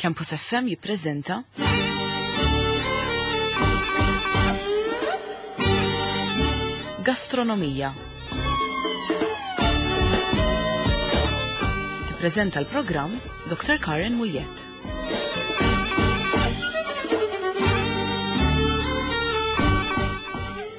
Campus FM jippreżenta Gastronomija. Tippreżenta l-programm Dr. Karen Muljett.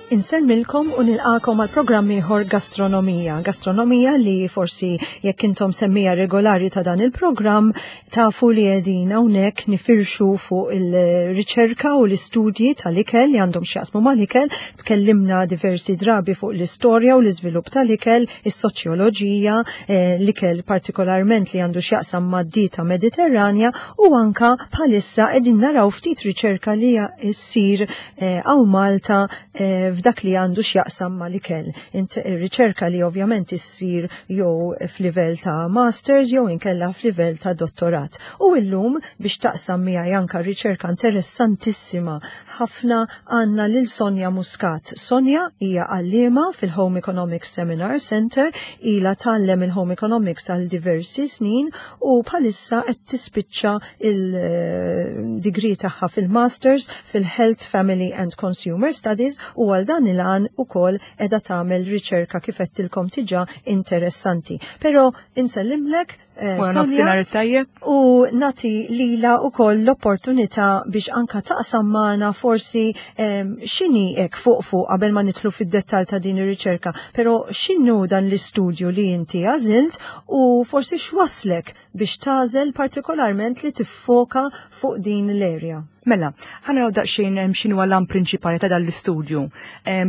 Insellmilkom u nilqakom għal programm ieħor Gastronomija. Gastronomija li forsi jekk intom semmija regolari ta' dan il-programm tafu li qegħdin hawnhekk nifirxu fuq il-riċerka u l-istudji tal-ikel li għandhom x'jaqsmu mal-ikel. Tkellimna diversi drabi fuq l-istorja u l-iżvilupp tal-ikel, is-soċjoloġija, eh, l-ikel partikolarment li għandu x'jaqsam mad-dieta Mediterranja u anka bħalissa qegħdin naraw ftit riċerka li ssir Eh, hawn Malta eh, f'dak li għandu x'jaqsam mal-ikel. Riċerka li ovvjament issir jew f'livell ta' masters jew inkella f'livell ta' dottorat. U illum biex taqsam miegħi anka riċerka interessantissima ħafna għandna lil Sonja Muscat. Sonja hija għalliema fil-Home Economics Seminar Center, ilha tgħallem il-Home Economics għal diversi snin u bħalissa qed tispiċċa il-degree tagħha fil-Masters fil-Health, Family and Consumer Studies u għal dan il-għan ukoll qiegħda tagħmel riċerka kif għedtilkom tiġa interessanti. Però insellimlek eh, Sonja u nati lila u koll l-opportunità biex anka taqsam magħna forsi x'inhi hekk fuq fuq qabel ma nidħlu fid-dettall ta' din ir-riċerka, però x'inhu dan l-istudju li inti għażilt u forsi x'waslek biex tagħżel partikolarment li tiffoka fuq din l-area. Mela, ħa naraw daqsxejn x'inhu l-għan prinċipali ta' dan l-istudju.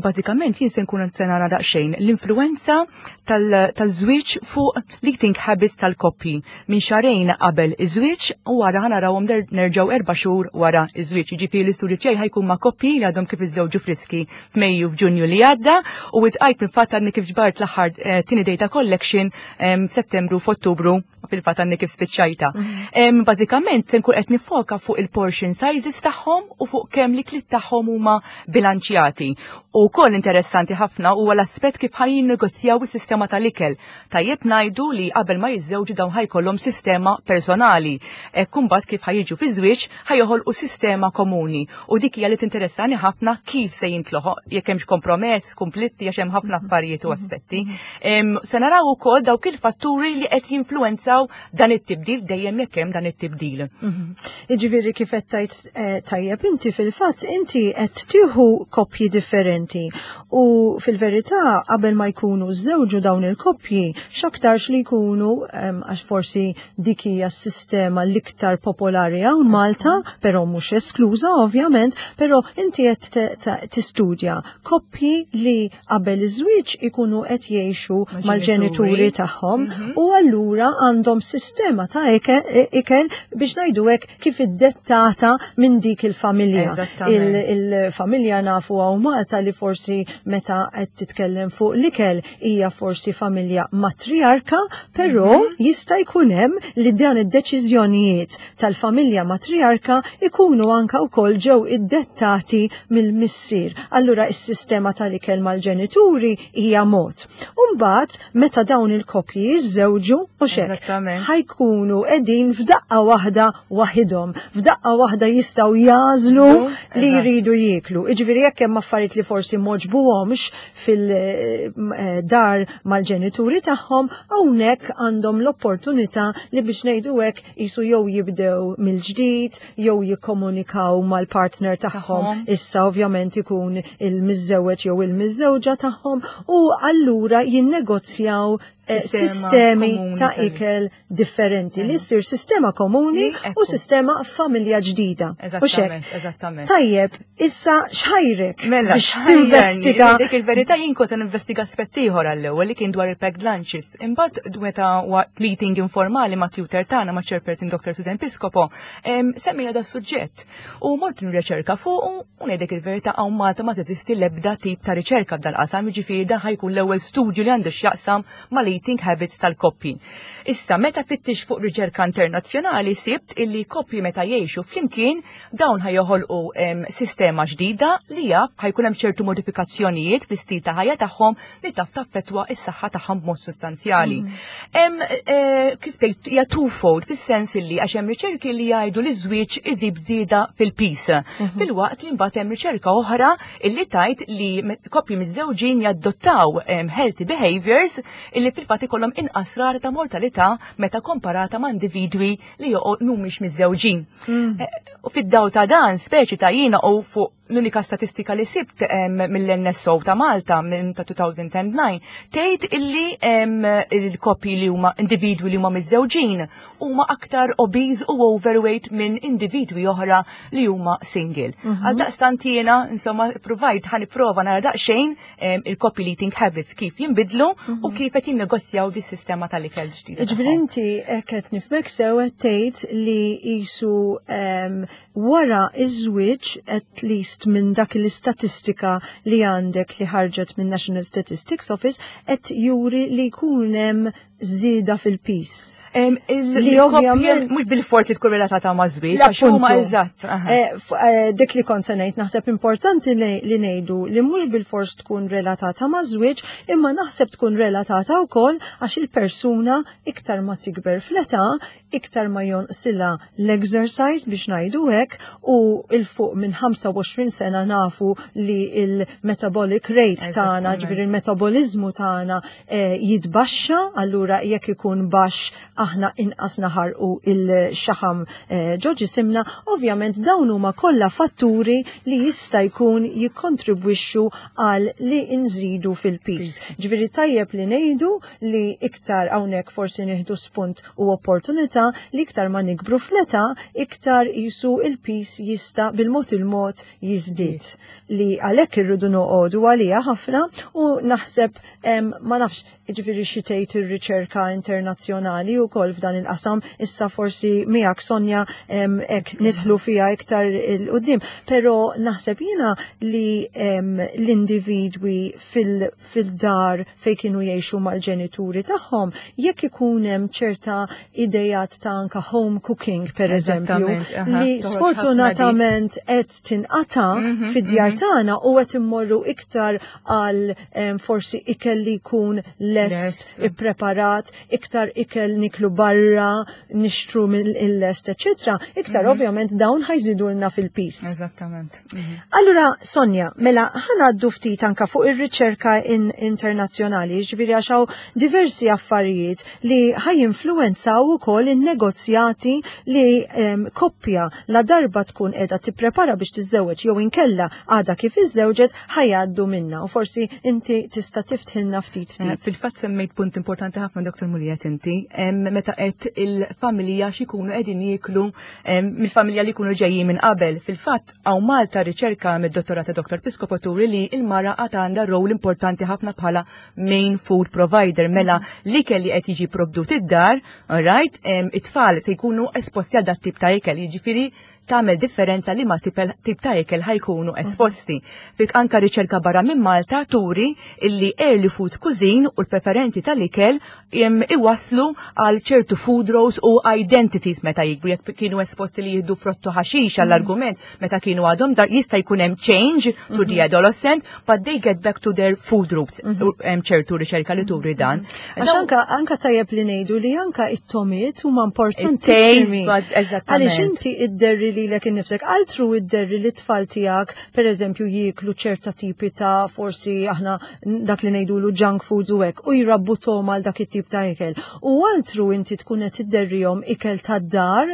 Bażikament jien se nkun qed nara daqsxejn l-influenza tal-żwieġ fuq l-eating habits tal-koppji minn xahrejn qabel iż-żwieġ u wara ħa narawhom nerġgħu erba' xhur wara iż-żwieġ. Jiġifieri l-istudju tiegħi ħa jkun ma' koppji li għadhom kif iżżewġu friski f'Mejju f'Ġunju li għadda u itqajt fil-fatt għadni kif ġbart l-aħħar eh, tieni data collection f'Settembru f'Ottubru fil-fatt għandni kif spiċċajta. Mhm. Bażikament se nkun qed nifoka fuq il-portion sizes tagħhom u fuq kemm li klit tagħhom huma bilanċjati. U wkoll interessanti ħafna huwa l-aspett kif ħajjin negozjaw is-sistema tal-ikel. Tajjeb ngħidu li qabel ma jiżżewġu dawn ħajkollhom sistema personali. Hekk imbagħad kif ħajjiġu fi żwieġ ħajoħolqu sistema komuni u dik hija li tinteressani ħafna kif se jintloħoq jekk hemmx kompromess, kumplitti għax hemm ħafna mhm. affarijiet u mhm. aspetti. Mhm. Se naraw ukoll dawk il-fatturi li qed jinfluwenzaw dan it-tibdil dejjem jekk hemm dan it-tibdil. Jiġifieri kif qed tgħid eh, tajjeb inti fil-fatt inti qed tieħu koppji differenti u fil-verità qabel ma jkunu żewġu dawn il-koppji x'aktarx li jkunu għax forsi dik hija s-sistema l-iktar popolari hawn Malta, però mhux eskluża ovvjament, però inti qed tistudja koppji li qabel iż-żwieġ ikunu qed jgħixu mal-ġenituri tagħhom mhm. u allura għandhom sistema ta' ikel biex ngħidu hekk kif iddettata minn dik il-familja. Il-familja nafu hawn Malta li forsi meta qed titkellem fuq l-ikel hija forsi familja matriarka, però mhm. jista' jkun hemm li dan id-deċiżjonijiet tal-familja matriarka ikunu anka wkoll ġew iddettati mill-missier. Allura is-sistema tal-ikel mal-ġenituri hija mod. Umbagħad meta dawn il-koppji jiżżewġu u xek ħajkunu qegħdin f'daqqa waħda waħidhom, f'daqqa waħda jistgħu jażlu li jridu jieklu. Iġifieri jekk hemm affarijiet li forsi m'għoġbuhomx fil-dar mal-ġenituri tagħhom, hawnhekk għandhom l-opportunità li biex ngħidu hekk jisu jew jibdew mill-ġdid, jew jikkomunikaw mal-partner tagħhom, issa ovvjament ikun il-miżżewweġ jew il-miżżewġa tagħhom u allura jinnegozjaw eh, sistemi ta' ikel differenti li ssir sistema komuni u sistema familja ġdida. Eżattament, eżattament. Tajjeb, issa xħajrek mela, biex tinvestiga. Dik il-verità jien kont investiga aspett ieħor għall-ewwel li kien dwar il-packed lunches. Imbagħad meta waqt meeting informali ma' tutor tagħna ma' chairperson Dr. Susan Piscopo, semmejna da suġġett. U mort nirriċerka fuq u ngħidlek il-verità hawn Malta ma teżisti l-ebda tip ta' riċerka f'dal-qasam, jiġifieri dan ħajkun l-ewwel studju li għandu x'jaqsam mal l-eating habits tal-koppji. Issa, meta fittix fuq riċerka internazzjonali sibt illi koppji meta jgħixu flimkien dawn ħa joħolqu sistema ġdida li jaf ħa jkun hemm ċertu modifikazzjonijiet fl-istil ta' ħajja tagħhom li taf taffettwa s-saħħa tagħhom b'mod sostanzjali. Hemm kif tgħid hija twofold fis-sens illi għax hemm riċerki li jgħidu li żwieġ iżib żieda fil-pis. Filwaqt li mbagħad hemm riċerka oħra illi tgħid li koppji miżżewġin jadottaw healthy behaviors illi fil-fatt ikollhom inqas rata ta' mortalità meta komparata ma' individwi li joqgħod mhumiex miżżewġin. U fid-daw ta' dan, speċi ta' jiena u fuq l-unika statistika li sibt mill-NSO ta' Malta minn ta' 2009 tgħid illi il-koppji li huma individwi li huma miżżewġin huma aktar obese u overweight minn individwi oħra li huma single. Għaldaqstant jiena insomma provajt ħa nipprova nara daqsxejn il-koppji eating habits kif jinbidlu u kif qed jinnegozjaw di sistema tal-ikel ġdida. Ġifieri inti qed nifhmek sew qed tgħid li qisu wara iż-żwieġ, at least minn dak l-istatistika li għandek li ħarġet minn National Statistics Office, qed juri li jkun hemm żieda fil-pis. Li ovvjament mhux bil-forsi tkun relatata ma' żwieġ, għax huma eżatt. Dik li kont se ngħid, naħseb importanti li ngħidu li mhux bil-fors tkun relatata ma' żwieġ, imma naħseb tkun relatata wkoll għax il-persuna iktar ma tikber fl-età, iktar ma jonqsilha l-exercise biex ngħidu hekk, u 'il fuq minn 25 sena nafu li il-metabolic rate tagħna, ġifieri il-metabolizmu tagħna jitbaxxa, allura jekk ikun baxx aħna inqas naħarqu il-xaħam ġo ġisimna, ovvjament dawn huma kollha fatturi li jista' jkun jikkontribwixxu għal li nżidu fil-pis. Ġifieri tajjeb li ngħidu li iktar hawnhekk forsi nieħdu spunt u opportunità li iktar ma nikbru fl-età, iktar jisu il-pis jista' bil-mod il-mod jiżdied. Li għalhekk irridu noqogħdu għalija ħafna u naħseb ma nafx ġifieri xi tgħid ir-riċerka internazzjonali wkoll f'dan il-qasam, issa forsi miegħek Sonja hekk nidħlu fiha iktar 'il quddiem, però naħseb jiena li l-individwi fil-dar fej kienu jgħixu mal-ġenituri tagħhom, jekk ikun hemm ċerta idejat ta' anka home cooking per eżempju, li sfortunatament qed tinqata fid-djar tagħna u qed immorru iktar għal forsi ikel li jkun lest, ippreparat, iktar ikel niklu barra, nixtru mill-lest, eccetera, iktar ovvjament dawn ħa jżidulna fil-pis. Eżattament. Allura, Sonja, mela ħa ngħaddu ftit anka fuq ir-riċerka internazzjonali, ġifieri għax hawn diversi affarijiet li ħa jinfluwenzaw ukoll in-negozjati li koppja la darba tkun qiegħda tipprepara biex tiżżewweġ jew inkella għadha kif iżżewġet ħa jgħaddu minna, u forsi inti tista' tiftħilna ftit ftit. Fil-fatt semmejt punt importanti ħafna, Dr. Muliet, inti, meta qed il-familja x'ikunu qegħdin jieklu mill-familja li jkunu ġejjin minn qabel. Fil-fatt hawn Malta riċerka mid-dottorata Dr. Piscopo turi li il-mara għad għandha rol importanti ħafna bħala main food provider, mela li kelli qed jiġi provdut id-dar, alright, it-tfal se jkunu esposti għal dat tip ta' ikel, jiġifieri tagħmel differenza li ma tip ta' ikel ħa jkunu esposti. Fik anka riċerka barra minn Malta turi illi early food cuisine u l-preferenzi tal-ikel iwaslu għal ċertu food roles u identities meta jikbru. Jekk kienu esposti li jieħdu frottu ħaxix għall-argument meta kienu għadhom dar, jista' jkun hemm change to the adolescent, but they get back to their food roots. Hemm ċertu riċerka li turi dan. Għax anka tajjeb li ngħidu li anka it-tomiet huma importantissimi. Għaliex inti idderri lilek innifsek, altru idderri li tfal tiegħek, per eżempju, jieklu ċerta tipi ta' forsi aħna dak li ngħidulu junk foods u hekk, u jrabbu toma għal dak it-tip ta' ikel. U altru inti tkun qed idderrihom ikel tad-dar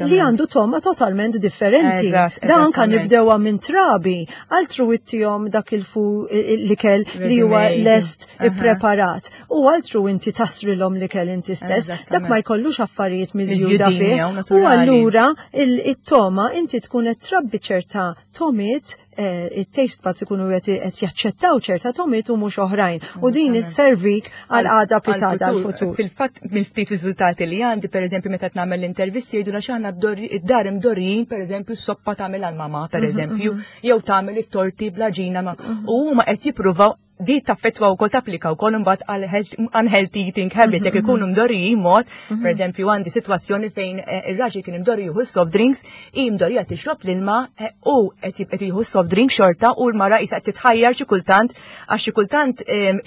li għandu toma totalment differenti. Da anka nibdewha minn trabi, altru ittihom dak il-fu l-ikel li huwa lest ippreparat. U altru inti tasrilhom l-ikel inti stess, dak ma jkollux affarijiet miżjuda fih. U allura it-toma inti tkun qed trabbi ċerta tomiet, it-taste buds ikunu qed jaċċettaw ċerta tomiet u mhux oħrajn. U din isservik għal għada pitgħada għal-futur. Fil-fatt mill-ftit riżultati li għandi, per eżempju, meta nagħmel l-intervisti jgħidu għax aħna id-dar imdorrijin, per eżempju, soppa tagħmel għal-mama, per eżempju, jew tagħmel it-torti bla ġina ma. U huma qed jippruvaw. Di taffettwa wkoll tapplika wkoll imbagħad għal unhealthy eating habit jekk ikunu mdorrijin mod, pereżempju għandi sitwazzjoni fejn ir-raġel kien imdorri jieħu soft drinks, hi mdorrija tixrob l-ilma u qed jieħu soft drink xorta u l-mara qisha qed titħajjar xi kultant għax xi kultant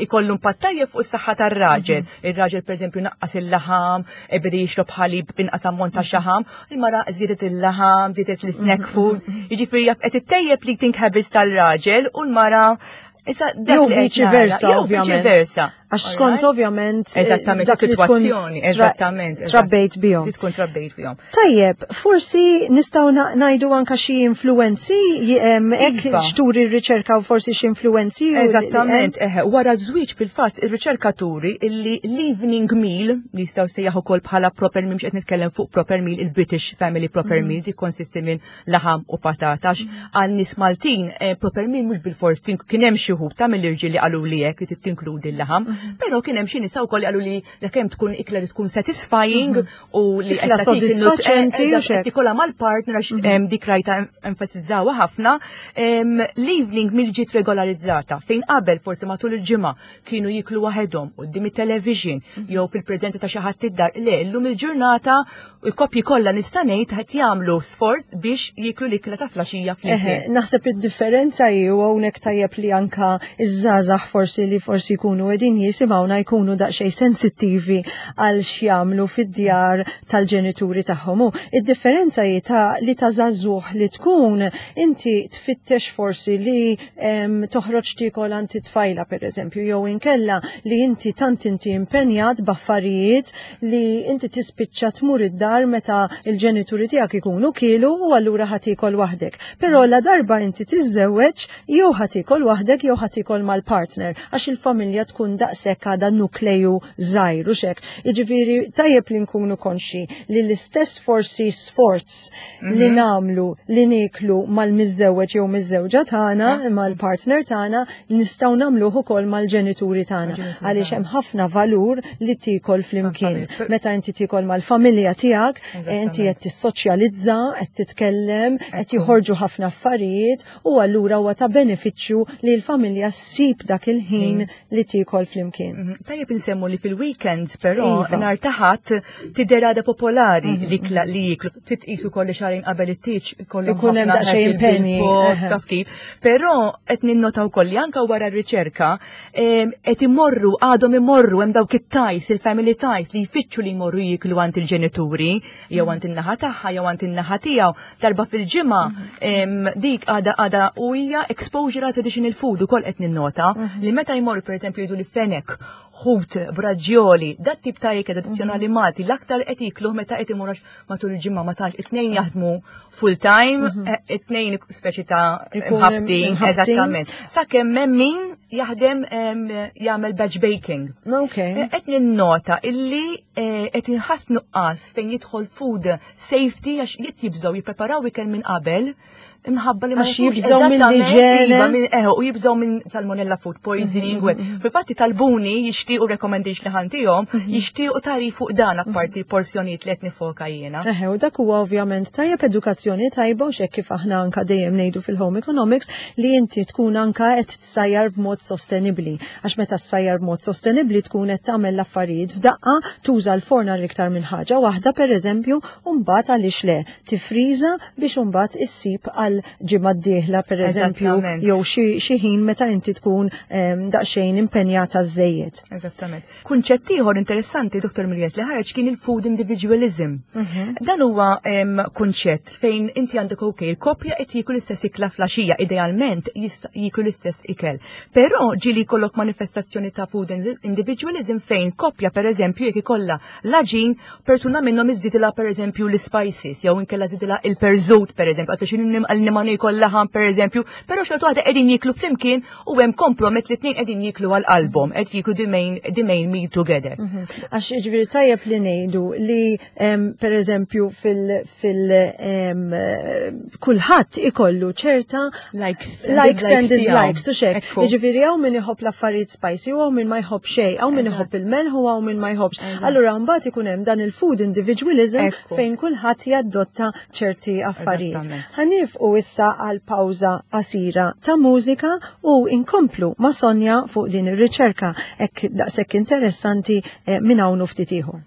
ikollu impatt tajjeb fuq is-saħħa tar-raġel. Ir-raġel pereżempju naqqas il-laħam, beda jixrob ħalib b'inqas ammont ta' xaħam, il-mara żiedet il-laħam, żiedet l-snack food, jiġifieri jaf qed ittejjeb l-eating habits tal-raġel u l-mara Issa dak Jew li qed viċi nara, versa, jew ovvjament. viċi versa. Għax skont ovvjament Eżattament, dak li tkun sitwazzjoni, eżattament. trabbejt bihom. Li tkun trabbejt bihom. Tajjeb, forsi nistgħu ngħidu anka xi influenzi, hekk Iva. xturi r-riċerka u forsi xi influenzi. Eżattament, eħe, wara żwieġ fil-fatt ir-riċerkaturi illi l-evening meal li jistgħu sejjaħ ukoll bħala proper meal, mhux qed nitkellem fuq proper meal, il-British Family Proper Meal, tikkonsisti minn laħam u patata, għax għal nies Maltin proper meal mhux bilfors kien hemm xi wħud ta' mill-irġiel li qalu li hekk li trid tinkludi l-laħam, però kien hemm xi nisa wkoll li qalu li kemm tkun ikla li tkun satisfying u li Ikla qed tagħtik sodisfaċenti u xek. qed tikollha mal-partner għax dik rajta enfasizzawha ħafna. L-evening meal ġiet regolarizzata fejn qabel forsi matul il-ġimgħa kienu jiklu waħedhom quddiem it-television jew fil-preżenza ta' xi ħadd id-dar. Le, llum il-ġurnata il-koppji kollha nista' ngħid qed jagħmlu sforz biex jiklu l-ikla ta' flaxija flimkien. Eħe, naħseb id-differenza hi u hawnhekk tajjeb li anka iż-żgħażagħ forsi li forsi jkunu qegħdin jisimgħuna jkunu daqsxejn sensittivi għal x'jagħmlu fid-djar tal-ġenituri tagħhom. U id-differenza hi ta' li ta' żagħżugħ li tkun inti tfittex forsi li toħroġ tiekol għand it-tfajla pereżempju, jew inkella li inti tant inti impenjat b'affarijiet li inti tispiċċa tmur id-dar meta il-ġenituri tiegħek ikunu kielu u allura ħa tiekol waħdek. Però la darba inti tiżżewweġ jew ħa tiekol waħdek jew ħa tiekol mal-partner għax il-familja tkun daqshekk għadha nukleju żgħir u xek. Jiġifieri tajjeb li nkunu konxi li l-istess forsi sforz li nagħmlu li nieklu mal-miżżewweġ jew miżżewġa tagħna, mal-partner tagħna, nistgħu nagħmluh ukoll mal-ġenituri tagħna. Mal-ġenituri Għaliex tagħna. hemm ħafna valur li tiekol flimkien. Mal-familja. Meta inti tiekol mal-familja tiegħek, inti qed tissoċjalizza, qed titkellem, qed joħorġu ħafna affarijiet u allura huwa ta' benefiċċju li l-familja ssib dak il-ħin li tiekol flimkien. Tajjeb insemmu li fil-weekend però Iva. nhar ta' Ħadd tidher għadha popolari l-ikla li jiklu. Titqisu kolli xahrejn qabel it-tieġ ikollhom Ikun hemm ħafna daqsxejn ħasil impenji, bil-pot, eħe. taf kif. Però qed ninnota wkoll li anke wara r-riċerka qed imorru, għadhom imorru hemm dawk it-ties, il-family ties li jfittxu li jmorru jiklu għand il-ġenituri, jew għand in-naħa tagħha, jew għand in-naħa tiegħu darba fil-ġimgħa, dik għadha u hija exposure għal traditional food ukoll qed ninnota li meta jmorru pereżempju jgħidu li fenek, ħut, braġjoli, dat tip ta' ikel tradizzjonali Malti l-aktar qed jikluh meta qed imorru matul il-ġimgħa ma tantx it-tnejn jaħdmu full time, it-tnejn speċi ta' Ikun imħabtin, imħabtin. eżattament. Sakemm hemm min jaħdem jagħmel batch baking. Qed ninnota illi qed inħass nuqqas fejn jidħol food safety għax jekk jibżgħu jippreparaw ikel minn qabel imħabba li ma Għax jafux jibżgħu minn eżattament, l-iġene. iva, u jibżgħu minn salmonella food poisoning. Fil-fatti talbuni jixtiequ recommendation li ħa ntihom, jixtiequ tagħrif fuq dan apparti porzjonijiet li qed nifoka jiena. Eħe, u dak huwa ovvjament tajjeb edukazzjoni tajba u xek kif aħna anka dejjem ngħidu fil-home economics li inti tkun anka qed tsajjar b'mod sostenibbli. Għax meta tsajjar b'mod sostenibbli tkun qed tagħmel l-affarijiet f'daqqa, tuża l-forn għal iktar minn ħaġa waħda pereżempju, u mbagħad għaliex le tifriża biex imbagħad issib għal ġimgħa d-dieħla pereżempju jew xi ħin meta inti tkun daqsxejn impenjata żejjed. Eżattament. Kunċett ieħor interessanti, Dr. Mirjet, li ħareġ kien il-food individualism. Dan huwa kunċett fejn inti għandek ok, il-koppja qed jieklu l-istess ikla flaxija, idealment jieklu l-istess ikel. Però ġieli jkollok manifestazzjoni ta' food individualism fejn koppja pereżempju jekk ikollha l-għaġin, persuna minnhom iżżidilha pereżempju l-spices jew inkella żidilha il-perżut pereżempju, għax għal ma niekol laħam pereżempju, però xorta waħda qegħdin jieklu flimkien u hemm kompromett li tnejn qegħdin jieklu għal qalbhom, qed jieklu the main meal together. Għax ġifieri tajjeb li ngħidu li pereżempju fil kulħadd ikollu ċerta likes likes and dislikes dislikes, u xek. Ekku. Jiġifieri hawn min iħobb l-affarijiet spicy u hawn min ma jħobb xejn, hawn min iħobb il-melħ u hawn min ma jħobbx. Allura Allura mbagħad ikun hemm dan il-food individualism fejn kulħadd jaddotta ċerti affarijiet. Ħanifqu issa għal pawża qasira ta' mużika u inkomplu ma' Sonja fuq din ir-riċerka hekk daqshekk interessanti eh, minn hawn ftit ieħor.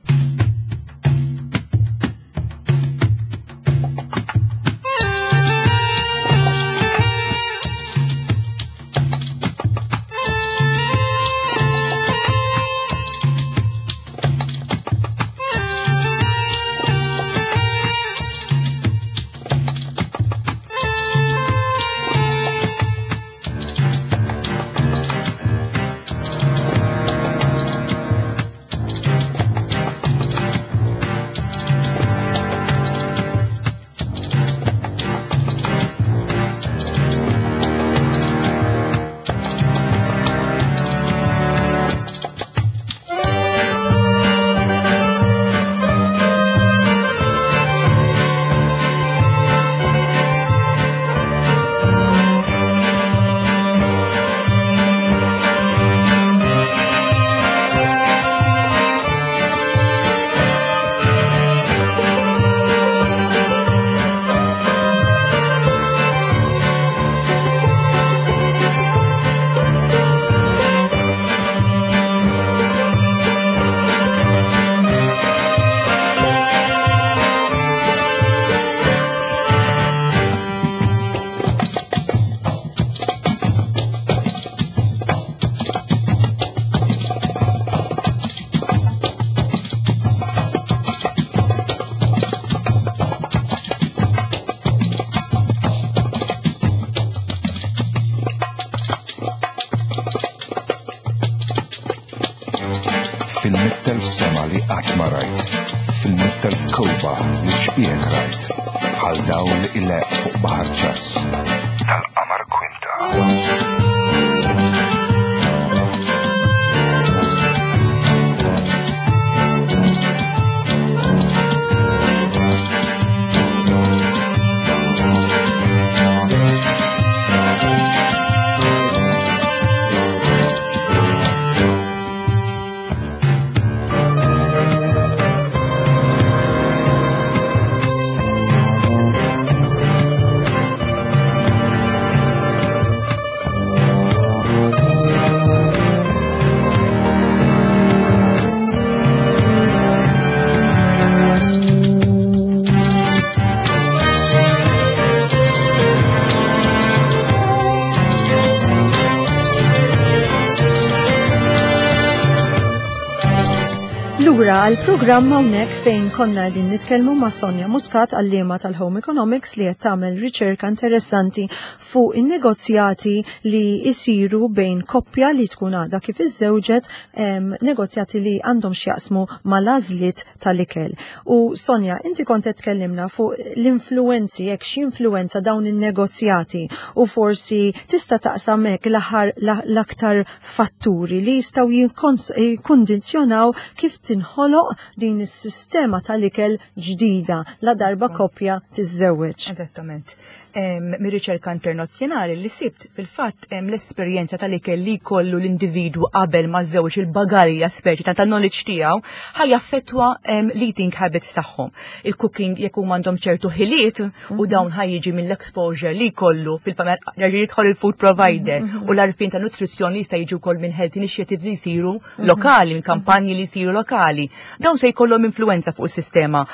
Fil-mittelf sema li qatt ma rajt, fil-mittelf kewba li xbieħ rajt, bħal dawl ileq fuq baħar ċass. Tal-qamar kwinta. Lura għal programm hawnhekk fejn konna qegħdin nitkellmu ma' Sonja Muscat għalliema tal-Home Economics li qed tagħmel riċerka interessanti fuq in-negozjati li jsiru bejn koppja li tkun għadha kif iżżewġet negozjati li għandhom x'jaqsmu mal-għażliet tal-ikel. U Sonja, inti kont qed tkellimna fuq l-influenzi, jekk x'influenza dawn in-negozjati u forsi tista' taqsam hekk l-aħħar l-aktar fatturi li jistgħu jikkundizzjonaw kif tinħoloq din is-sistema tal-ikel ġdida la darba koppja tiżżewweġ. Eżattament. Mir-riċerka internazzjonali li sibt fil-fatt l-esperjenza tal-ikel li jkollu l-individwu qabel ma żewġ il-bagalja speċi ta' knowledge tiegħu ħaj jaffettwa l-eating habits tagħhom. Il-cooking jekk huma għandhom ċertu ħiliet u dawn ħaj jiġi mill-exposure li jkollu fil-familja jidħol il-food provider u l-għarfien ta' nutrizzjoni jista' jiġi wkoll minn health initiative li jsiru lokali, minn kampanji li jsiru lokali. Dawn se jkollhom influenza fuq is-sistema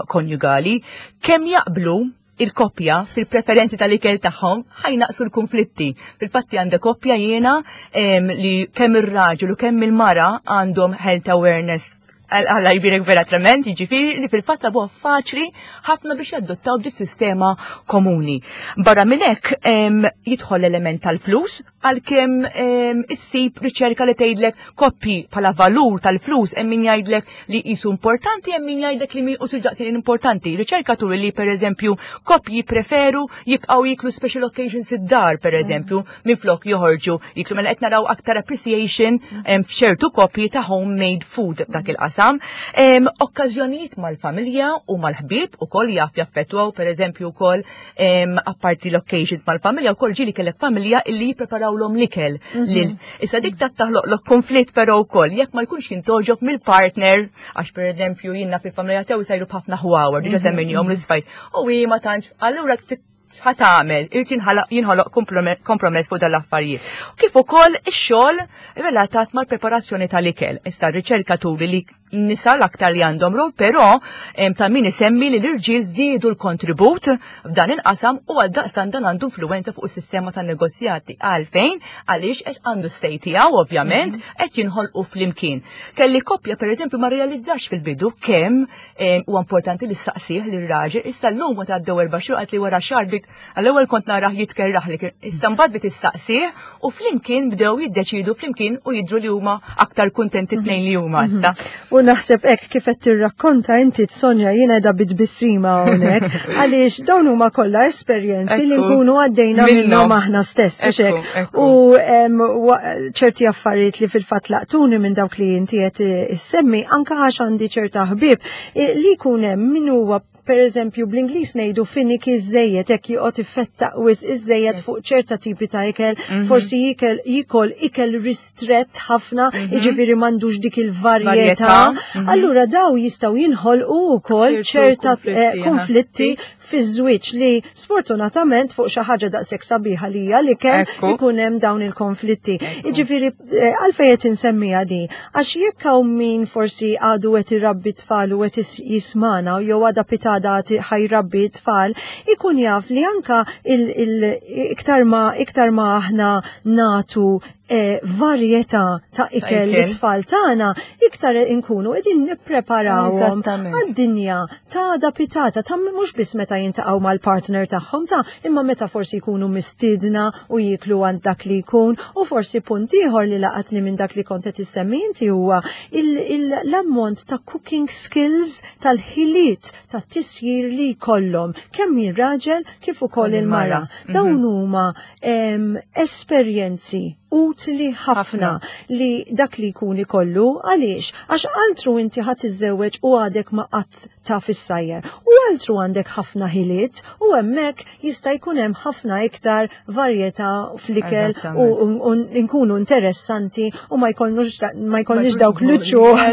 konjugali. Kemm jaqblu il-koppja fil-preferenzi tal-ikel tagħhom ħajnaqsu l-konflitti. Fil-fatti għandek koppja jiena li kemm ir-raġel u kemm il-mara għandhom health awareness Alla jbirek vera trement, jiġifieri li fil-fatt sabuha faċli ħafna biex jadottaw di sistema komuni. Barra minn hekk jidħol l-element tal-flus, għalkemm issib riċerka li tgħidlek koppji bħala valur tal-flus hemm min jgħidlek li qisu importanti, hemm min jgħidlek li mhux daqsxejn importanti. Riċerka turi li pereżempju koppji preferu jibqgħu jiklu special occasions id-dar pereżempju minflok joħorġu jiklu mela qed naraw aktar appreciation f'ċertu koppji ta' homemade food f'dak il-qasam. Okkażjonijiet mal-familja u mal-ħbieb ukoll jaf jaffettwaw pereżempju wkoll apparti l-occasions mal-familja wkoll ġieli kellek familja illi jippreparaw jippreparawlhom l-ikel. Issa dik taf taħloqlok konflitt però wkoll jekk ma jkunx jintogħġob mill-partner, għax pereżempju jiena fil-familja tiegħu jsajru b'ħafna ħwawar, diġà semmejnihom l-isfajt. U hi ma tantx, allura x'ħa tagħmel? Irid jinħoloq kompromess fuq dan l-affarijiet. Kif ukoll ix-xogħol relatat mal-preparazzjoni tal-ikel. Issa r-riċerka turi li nisa l-aktar li għandhom rol, però ta' min isemmi li l-irġiel żiedu l-kontribut f'dan il-qasam u għaldaqstant dan għandu influwenza fuq is-sistema tan negozjati. Għalfejn? Għaliex qed għandu s-sej tiegħu ovvjament qed jinħolqu flimkien. Kelli koppja pereżempju ma realizzax fil-bidu kemm huwa importanti li saqsih lir raġel issa llum meta għaddew 4 xhur qalt li wara xahar bdiet għall-ewwel kont narah jitkerraħ li kien issa mbagħad bdiet issaqsih u flimkien bdew jiddeċidu flimkien u jidhru li huma aktar kuntenti tnejn li huma issa. U naħseb hekk kif qed tirrakkonta inti Sonja jiena qiegħda bitbissima hawnhekk għaliex dawn huma kollha esperjenzi li nkunu għaddejna minnhom aħna stess u hekk. U ċerti affarijiet li fil-fatt laqtuni minn dawk li inti qed issemmi anke għax għandi ċerta ħbieb li jkun hemm min huwa per eżempju bl-Ingliż ngħidu finicky iżżejjed, hekk joqgħod ifettaq wisq iżżejjed fuq ċerta tipi ta' ikel, forsi jikol ikel ristrett ħafna, jiġifieri m'għandux dik il-varjetà. Allura daw jistgħu jinħolqu wkoll ċerta konflitti fiż-żwieġ li sfortunatament fuq xi ħaġa daqshekk sabiħa li hija l-ikel ikun hemm dawn il-konflitti. Jiġifieri għalfejn qed insemmiha di? Għax jekk hawn min forsi għadu qed irabbi tfal u qed jismana jew għadha pitada ħajrabbi tfal, ikun jaf li anka iktar ma iktar ma aħna natu varjetà ta' ikel li tfal tagħna, iktar inkunu qegħdin nippreparawhom għad-dinja ta' għada pitgħada, ta' mhux biss meta jintaqgħu mal-partner tagħhom ta' imma meta forsi jkunu mistiedna u jiklu għand dak li jkun. U forsi punt ieħor li laqatni minn dak li kont qed issemmi inti huwa l-ammont ta' cooking skills, tal-ħiliet ta' tisjir li jkollhom kemm ir-raġel kif ukoll il-mara. Dawn huma esperjenzi utli ħafna li dak li jkun ikollu. Għaliex? Għax altru inti ħadd iżżewweġ u għadek ma qatt taf issajjar. U altru għandek ħafna ħiliet u hemmhekk jista' jkun hemm ħafna iktar varjetà fl-ikel u nkunu interessanti u ma jkollniex dawk l-uċuħ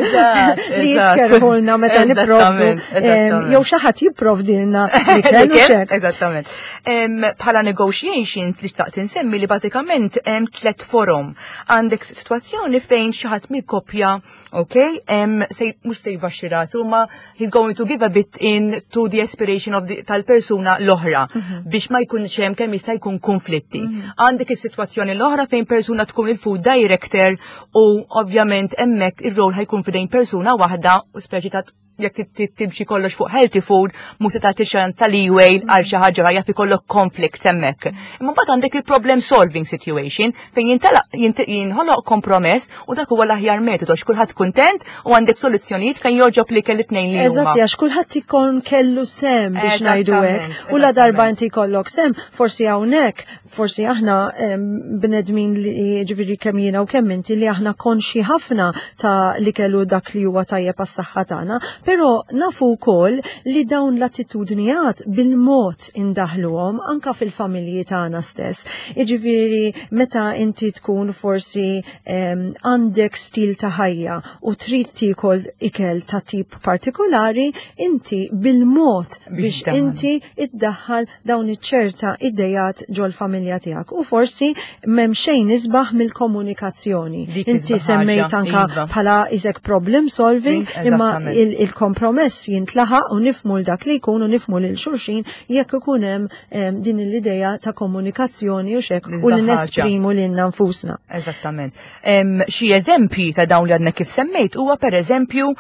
li jitkerħulna meta nipprovdu jew xi ħadd jipprovdilna l-ikel u xek. Eżattament. Bħala negotiations li xtaqt insemmi li bażikament hemm tliet forom. Għandek situazzjoni fejn xi ħadd mill-koppja, ok, mhux se jbaxxi rasu, ma he's going to give a bit in to the aspiration of the, tal-persuna l-oħra biex ma jkunx hemm kemm jista' jkun konflitti. Għandek is-sitwazzjoni l-oħra fejn persuna tkun il-food director u ovvjament hemmhekk ir-rol ħa jkun f'idejn persuna waħda u speċi ta' jekk timxi kollox fuq healthy food, mhux se tagħti xan tal-leeway għal xi ħaġa jaf ikollok conflict hemmhekk. Imma mbagħad għandek il-problem solving situation fejn jinħoloq kompromess u dak huwa l-aħjar metodu għax kulħadd kuntent u għandek soluzzjonijiet fejn jogħġob li kelli tnejn li huma. Eżatti, għax kulħadd ikun kellu sem biex ngħidu hekk. U la darba inti jkollok sem, forsi hawnhekk, forsi aħna bnedmin li ġifieri kemm jiena u kemm inti li aħna konxi ħafna ta' li kellu dak li huwa tajjeb għas-saħħa tagħna, però nafu wkoll li dawn l-attitudnijat bil-mod indaħluhom anka fil-familji tagħna stess. Jiġifieri meta inti tkun forsi għandek stil ta' ħajja u trid tiekol ikel ta' tip partikolari, inti bil-mod biex inti iddaħħal dawn iċ-ċerta idejat ġol-familja tiegħek. U forsi m'hemm xejn isbaħ mill-komunikazzjoni. Dik Inti isbaħ semmejt ħaġa, anka bħala isek problem solving, imma il-kompromess jintlaħaq u nifmu l dak li jkun u nifmu lil xulxin jekk ikun hemm din l-idea ta' komunikazzjoni u xek u li L-isbaħ ħaġa. nesprimu lilna nfusna. Eżattament. Xi eżempji ta' dawn li għadna kif semmejt huwa per eżempju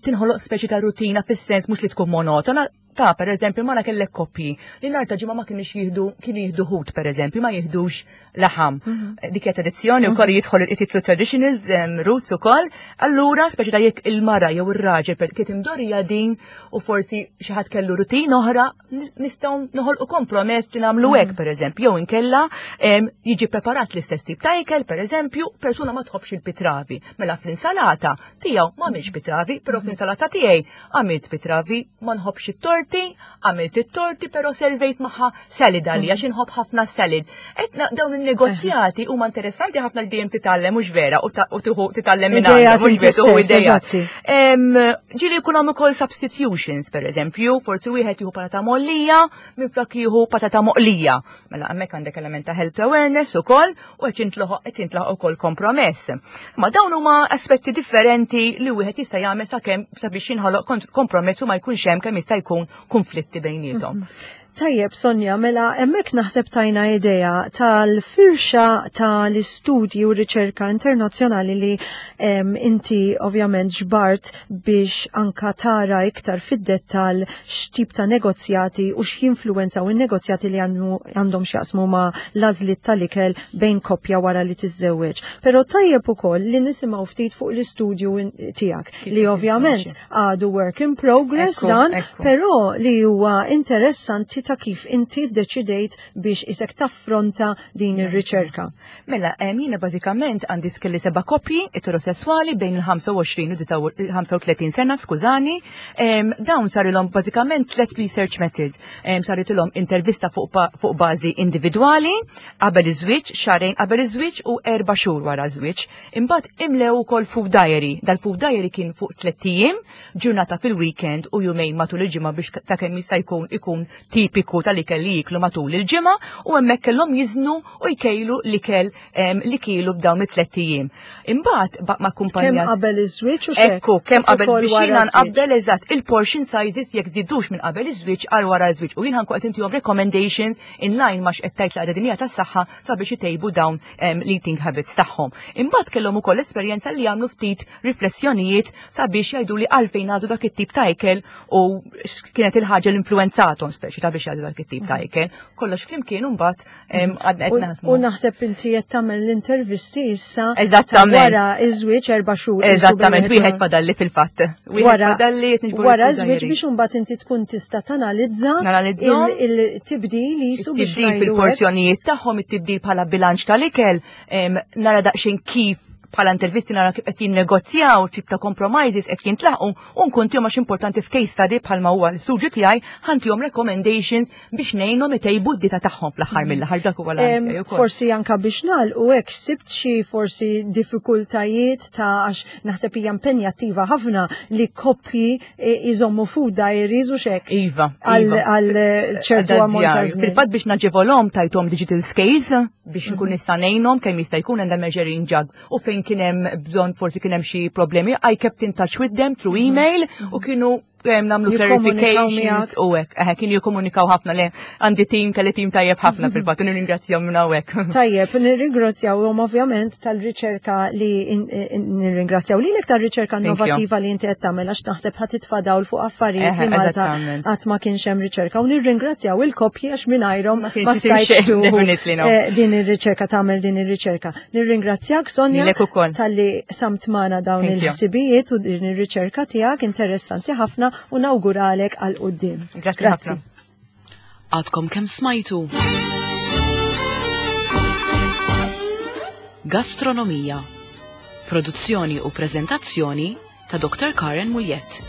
tinħoloq speċi ta' rutina fis-sens mhux li tkun monotona. Ta' per eżempju, ma kellek koppji li nhar ta' ġimgħa ma kienx jieħdu, kienu jieħdu ħut per eżempju, ma jieħdux laħam. Dik hija tradizzjoni wkoll jidħol it-titlu traditionals roots ukoll. Allura, speċi ta' jekk il-mara jew ir-raġel kien imdorrija din u forsi xi ħadd kellu rutin oħra, nistgħu noħolqu kompromess li nagħmlu hekk per eżempju, jew inkella jiġi preparat l-istess tip ta' ikel, per eżempju, persuna ma tħobbx il-pitravi. Mela fl-insalata tiegħu ma għamilx pitravi, però fl-insalata tiegħi għamilt pitravi, ma nħobbx it-torti. torti, għamilt it-torti però servejt magħha salad għalija għax inħobb ħafna salad. Qed dawn in-negozjati huma interessanti ħafna li dejjem titgħallem mhux vera u tieħu titgħallem minn għandhom mhux vera tieħu ideat. Ġieli jkun hemm ukoll substitutions pereżempju, forsi wieħed jieħu patata mollija minflok jieħu patata moqlija. Mela hemmhekk għandek element ta' health awareness ukoll u qed jintlaħaq qed jintlaħaq ukoll kompromess. Ma dawn huma aspetti differenti li wieħed jista' jagħmel sakemm sabiex jinħoloq kompromess u ma jkunx hemm kemm jista' jkun konflitti bejniethom. Tajjeb, Sonja, mela hemmhekk naħseb tajna idea tal-firxa tal-istudji u riċerka internazzjonali li inti ovvjament ġbart biex anka tara iktar fid-dettal x'tip ta' negozjati u x'jinfluwenzaw in-negozjati li għandhom x'jaqsmu ma' l-għażliet tal-ikel bejn koppja wara li tiżżewweġ. Però tajjeb ukoll li nisimgħu ftit fuq l-istudju tiegħek li ovvjament għadu work in progress dan, però li huwa interessanti ta' kif inti ddeċidejt biex isek taffronta din ir-riċerka. Mela, jiena bażikament għandi skelli seba' koppji eterosesswali bejn il-25 u 35 sena, skużani. Dawn sarilhom bażikament tliet research methods. Saritilhom intervista fuq bażi individwali qabel iż-żwieġ, xahrejn qabel iż-żwieġ u erba' xhur wara ż-żwieġ. Imbagħad imlew ukoll food diary. Dal-food diary kien fuq tliet ijiem, ġurnata fil-weekend u jumejn matul il-ġimgħa biex ta' kemm jista' jkun ikun tipiku tal-ikel li jiklu matul il-ġimgħa u hemmhekk kellhom jiżnu u jkejlu l-ikel li kielu f'dawn it-tliet ijiem. Imbagħad baq ma' kumpanija. Kemm qabel iż-żwieġ u Ekku, kemm qabel biex jiena nqabbel eżatt il-portion sizes jekk żidux minn qabel iż-żwieġ għal wara ż-żwieġ u jien ħankun qed intihom recommendations in line ma' x'qed tgħid l-Għaqda Dinjija tas-Saħħa sabiex itejbu dawn l-eating habits tagħhom. Imbagħad kellhom ukoll esperjenza li jagħmlu ftit riflessjonijiet sabiex jgħidu li għalfejn għadu dak it-tip ta' ikel u kienet il-ħaġa li influenzatom speċi ta' biex jgħadu dak it-tip ta' ikel. Kollox flimkien imbagħad għadna qed naħdmu. U naħseb inti qed tagħmel l-intervisti issa. Eżattament. Wara iż-żwieġ erba' xhur. Eżattament, wieħed fadalli fil-fatt. Wieħed fadalli qed niġbru. Wara żwieġ biex imbagħad inti tkun tista' tanalizza il-tibdil jisu biex tibdil fil-porzjonijiet tagħhom, it-tibdil bħala bilanċ tal-ikel, nara daqsxejn kif bħala intervisti nara kif qed jinnegozjaw tip ta' compromises qed jintlaħqu u nkun tihom għax importanti f'case study bħalma huwa l-istudju tiegħi ħantihom recommendations biex ngħinhom itejbu d-dita tagħhom fl-aħħar mill-aħħar dak huwa l Forsi anka biex nagħlqu hekk sibt xi forsi diffikultajiet ta' għax naħseb hija impenjattiva ħafna li koppji jżommu food diaries u xek. Iva. Għal iva. ċertu ammont ta' żmien. Fil-fatt biex naġevolhom tajthom digital scales biex nkun mhm. nista' ngħinhom kemm jista' jkun għandha measuring jug u fejn kien hemm bżonn forsi kien hemm xi problemi I kept in touch with them through mhm. email u mhm. kienu namlu clarifications u hekk. Eħe, kienu jikkomunikaw ħafna le għandi tim kelli tim tajjeb ħafna mhm. fil-fatt, nirringrazzjahom minn hawnhekk. Tajjeb, nirringrazzjawhom ovvjament tal-riċerka li nirringrazzjaw lilek tar-riċerka innovattiva li inti qed tagħmel għax naħseb ħa titfa' dawl fuq affarijiet li Malta qatt ma kienx hemm riċerka u nirringrazzjaw il-koppji għax mingħajrhom ma stajtx tieħu eh, din ir-riċerka tagħmel din ir-riċerka. Nirringrazzjak Sonja talli samt magħna dawn il-ħsibijiet u din ir-riċerka tiegħek interessanti ħafna u nawguralek għal quddiem. Grazzi. Għadkom kemm smajtu. Gastronomija. Produzzjoni u prezentazzjoni ta' Dr. Karen Muljett.